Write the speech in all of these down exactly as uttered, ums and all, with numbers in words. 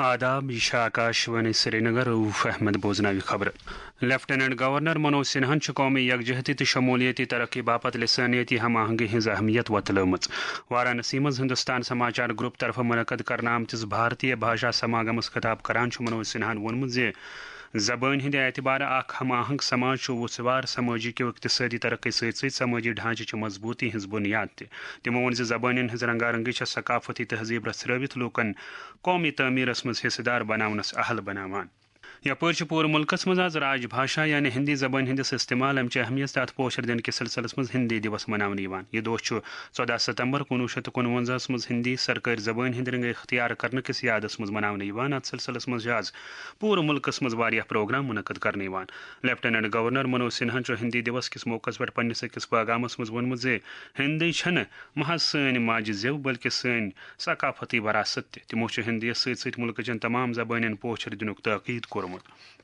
آداب، یہ چھِ آکاشوانی سرینگر۔ روف احمد بوزناوِ خبرٕ۔ لیفٹیننٹ گورنر منوج سنہاہن چھُ قومی یکجہتی تہٕ شمولیتی ترقی باپتھ لسانیتی ہم آہنگی ہٕنٛز اہمیت وۄتلٲومٕژ۔ وارانسی منٛز ہندوستان سماچار گروپ طرفہٕ منعقد کرنہٕ آمتِس بھارتیہ بھاشا سماگمس خطاب کران چھُ منوج سنہاہن ووٚنمُت زِ زبٲنۍ ہٕنٛدِ اعتبارٕ اکھ ہم آہنگ سماج چھُ وُژھوار سمٲجی کیو اقتصٲدی ترقی سۭتۍ سۭتۍ سمٲجی ڈھانچہٕ چہِ مضبوٗطی ہٕنٛز بُنیاد تہِ۔ تِمو ووٚن زِ زبٲنٮ۪ن ہٕنٛز رنگارنگی چھےٚ ثقافتی تہذیٖب رژھرٲوِتھ لوٗکن قومی تعمیرس منٛز حصہٕ دار بناونس اہل بناوان۔ یپٲرۍ چھُ پوٗرٕ مُلکس منٛز از راج بھاشا یعنی ہندی زبٲنۍ ہٕنٛدِس استعمال، امہِ چہِ اہمیت تہٕ اتھ پوچھر دِنہٕ کِس سلسلس منٛز ہندی دیوس مناونہٕ یِوان۔ یہِ دۄہ چھُ ژۄداہ ستمبر کُنوُہ شیٚتھ تہٕ کُنوَنزاہس منٛز ہندی سرکٲرۍ زبٲنۍ ہٕنٛدِ رنگہٕ اختیار کرنہٕ کِس یادس منٛز مناونہٕ یِوان۔ اتھ سلسلس منٛز چھِ از پوٗرٕ مُلکس منٛز واریاہ پروگرام منعقد کرنہٕ یِوان۔ لیفٹیننٹ گورنر منوج سنہاہن چھُ ہندی دیوس کِس موقعس پٮ۪ٹھ پننِس أکِس پیغامس منٛز ووٚنمُت زِ ہندی چھنہٕ محض سٲنۍ ماجہِ زیو بلکہِ سٲنۍ ثقافتی وراثت تہِ۔ تِمو چھُ ہندیس سۭتۍ سۭتۍ مُلکہٕ چٮ۪ن تمام زبٲنٮ۪ن پوچھر دِنُک تاکید کوٚرمُت۔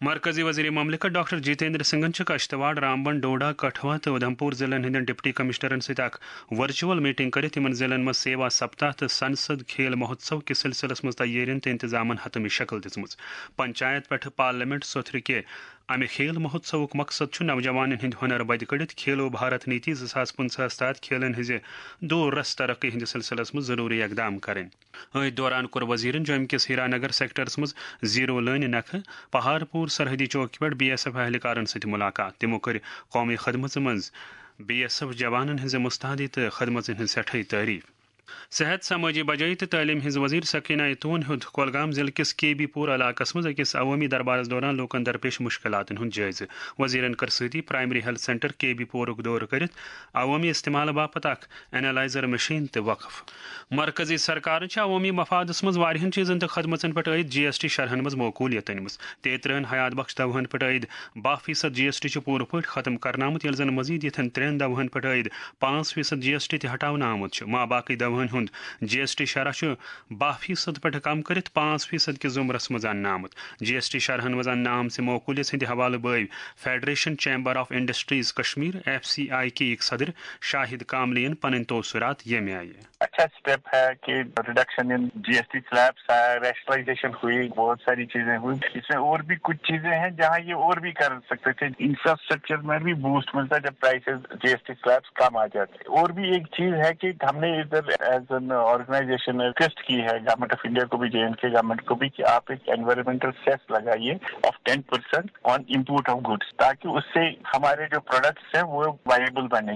مرکزی وزیر مملکت ڈاکٹر جتیندر سنگھن چھُ کشتواڑ، رامبن، ڈوڈا، کٹھوا تہٕ اُدھمپور ضلعن ہٕنٛدٮ۪ن ڈپٹی کمشنرن سۭتۍ اکھ ورچوئل میٹنگ کٔرِتھ یِمن ضلعن منٛز سیوا سپتاہ تہٕ سنسد کھیل مہوتسو کِس سلسلس منٛز تیٲرین تہٕ انتظامن حتمی شکل دِژمٕژ۔ پنچایت پٮ۪ٹھٕ پارلیمنٹ سوٚتھرِ کہِ امہِ کھیل مہوتسوُک مقصد چھُ نوجوانن ہٕنٛدۍ ہُنر بدِ کٔڑِتھ کھیلو بھارت نیتی زٕ ساس پٕنٛژٕہس تحت کھیلن ہٕنٛزِ دور رس ترقی ہٕنٛدِس سلسلس منٛز ضروٗری اقدام کرٕنۍ۔ أتھۍ دوران کوٚر وزیرن جوٚمہِ کِس ہیرانگر سیکٹرس منٛز زیرو لٲنہِ نکھٕ پہارپور سرحدی چوکی پٮ۪ٹھ بی ایس ایف اہلکارن سۭتۍ مُلاقات۔ تِمو کٔرۍ قومی خدمژ منٛز بی ایس ایف جوانن ہٕنٛزِ مستعدی تہٕ خدمژن ہٕنٛز سٮ۪ٹھٲے تعریف۔ صحت، سمٲجی بجٲیی تہٕ تعلیٖم ہٕنٛز وزیر سکینہ ایتون ہیوٚت کۄلگام ضلعہٕ کِس کے بی پور علاقس منٛز أکِس عوٲمی دربارس دوران لوٗکن درپیش مُشکِلاتن ہُنٛد جٲیزٕ۔ وزیرن کٔر سۭتی پرائمری ہیلتھ سینٹر کے بی پورُک دورٕ کٔرِتھ عوٲمی استعمال باپتھ اکھ اینالائزر مشین تہِ وقف۔ مرکزی سرکارن چھِ عوٲمی مفادس منٛز واریاہن چیٖزن تہٕ خدمژن پٮ۪ٹھ عٲید جی ایس ٹی شرحن منٛز معقولیت أنمٕژ۔ تیٚیہِ ترٕہن حیات بخش دوہن پٮ۪ٹھ عٲید باہ فیصد جی ایس ٹی چھُ پوٗرٕ پٲٹھۍ ختم کرنہٕ آمُت، ییٚلہِ زن مزید یِتھٮ۪ن ترٛٮ۪ن دوہن پٮ۪ٹھ عٲید پانٛژھ فیصد جی ایس ٹی تہِ ہٹاونہٕ آمُت چھُ۔ ما باقی دوہن ہُنٛد جی ایس ٹی شرح چھُ باہ فیصد پٮ۪ٹھ کم کٔرِتھ پانٛژھ فیصد کِس زُمرس منٛز اننہٕ آمُت۔ جی ایس ٹی شرحن منٛز اننہٕ آمژِ معقولیت ہٕنٛدِ حوالہٕ بٲوۍ federation chamber of industries Kashmir, F C I K یِکۍ صدر شاہد کاملین پنٕنۍ تاثرات ییٚمہِ آیہِ۔ اچھا اسٹیپ ہے کہ reduction in G S T slabs ہے، ریشنلائزیشن ہوئی، بہت ساری چیزیں ہوئی۔ اس میں اور بھی کچھ چیزیں ہیں جہاں یہ اور بھی کر سکتے تھے، انفراسٹرکچر میں بھی بوسٹ ملتا جب پرائسز جی ایس ٹی سلیبس کم آ جاتے۔ اور بھی ایک چیز ہے کہ ہم نے ادھر ایز این آرگنائزیشن ریکویسٹ کی ہے گورنمنٹ آف انڈیا کو بھی، جے اینڈ کے گورنمنٹ کو بھی، کہ آپ ایک انوائرمنٹل سیس لگائیے of ten percent on import of goods, تاکہ اس سے ہمارے جو پروڈکٹس ہیں وہ وائبل بنے۔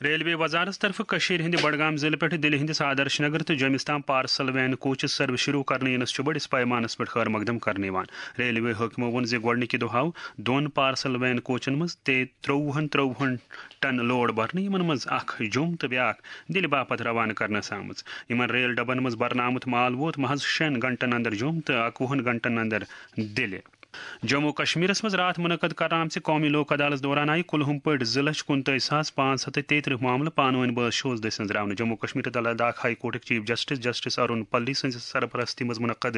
ریلوے وزارت طرفہٕ کٔشیٖرِ ہٕنٛدِ بڈگام ضلعہٕ پٮ۪ٹھٕ دِلہِ ہٕنٛدِس آدرش نگر تہٕ جوٚمِس تام پارسل وین کوچز سروس شروع کرنہٕ یِنس چھُ بٔڑِس پیمانس پٮ۪ٹھ خٲر مقدم کرنہٕ یِوان۔ ریلوے حٲکمو ووٚن زِ گۄڈٕنِکہِ دۄہ آو دۄن پارسل وین کوچن منٛز ترٛووُہن ترٛووُہن ٹن لوڈ بھرنہٕ، یِمن منٛز اکھ جوٚم تہٕ بیاکھ دِلہِ باپتھ روانہٕ کرنہٕ آمٕژ۔ یِمن ریل ڈبن منٛز بھرنہٕ آمُت مال ووت محض شٮ۪ن گھنٹن اندر جوٚم تہٕ اکوُہن گھنٹن اندر دِلہِ۔ جموں کشمیرس منٛز راتھ منعقد کرنہٕ آمژِ قومی لوک عدالت دوران آیہِ کُلہُم پٲٹھۍ زٕ لچھ کُنتٲجۍ ساس پانٛژھ ہتھ تہٕ تیٚیہِ ترٕٛہ معاملہٕ پانہٕ ؤنۍ بٲز شوز دٔسۍ أنٛزراونہٕ۔ جموں کشمیر تہٕ لداخ ہائی کورٹٕکۍ chief justice justice Arun Palli سٕنٛزِ سرپرستی منٛز منعقد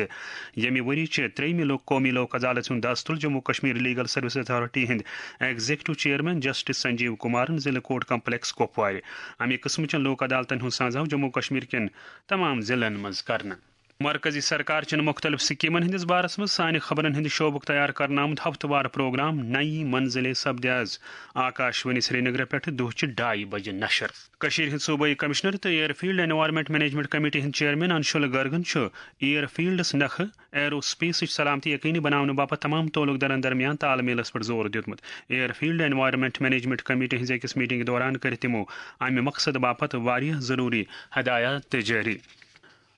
ییٚمہِ ؤری چہِ ترٛیٚیِمہِ لوک قومی لوک عدالت ہُنٛد دَس تُل Jammu Kashmir legal service authority ہٕنٛدۍ ایگزیکٹو چیئرمین جسٹس سنجیو کمارن ضلعہٕ کورٹ کمپلیکس کپوارِ۔ امہِ قٕسمہٕ چٮ۪ن لوک عدالتن ہُنٛد سانز آو جموں کشمیر کٮ۪ن تمام ضلعن منٛز کرنہٕ۔ مرکزی سرکار چٮ۪ن مختلف سکیمن ہٕنٛدِس بارس منٛز سانہِ خبرن ہٕنٛدِ شعبُک تیار کرنہٕ آمُت ہفتہٕ وار پروگرام نئی منزلیں سپدِ از آکاشوانی سرینگرٕ پٮ۪ٹھٕ دُہچہِ ڈایہِ بجہِ نشر۔ کٔشیٖرِ ہٕنٛدۍ صوبٲئی کمشنر تہٕ airfield Environment Management Committee ہٕنٛدۍ چیئرمین انشول گرگن چھُ ایئر فیلڈس نکھٕ ایرو سپیسٕچ سلامتی یقینی بناونہٕ باپتھ تمام تعلق دارن درمیان تال میلس پٮ۪ٹھ زور دیُتمُت۔ Airfield Environment Management Committee ہٕنٛزِ أکِس میٹنگہِ دوران کٔرۍ تِمو امہِ مقصدٕ باپتھ واریاہ ضروری ہدایات تہِ جٲری۔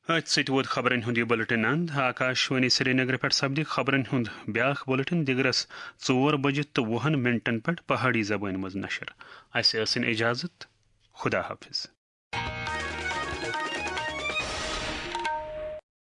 أتھۍ سۭتۍ ووت خبرن ہُنٛد یہِ بُلٹن اند۔ آکاشوانی سرینگرٕ پٮ۪ٹھ سپدِ خبرن ہُنٛد بیٛاکھ بُلٹن دِگرس ژور بجہِ تہٕ وُہن منٹن پٮ۪ٹھ پہاڑی زبٲنۍ منٛز نشر۔ اسہِ ٲسِن اجازت۔ خدا حافظ۔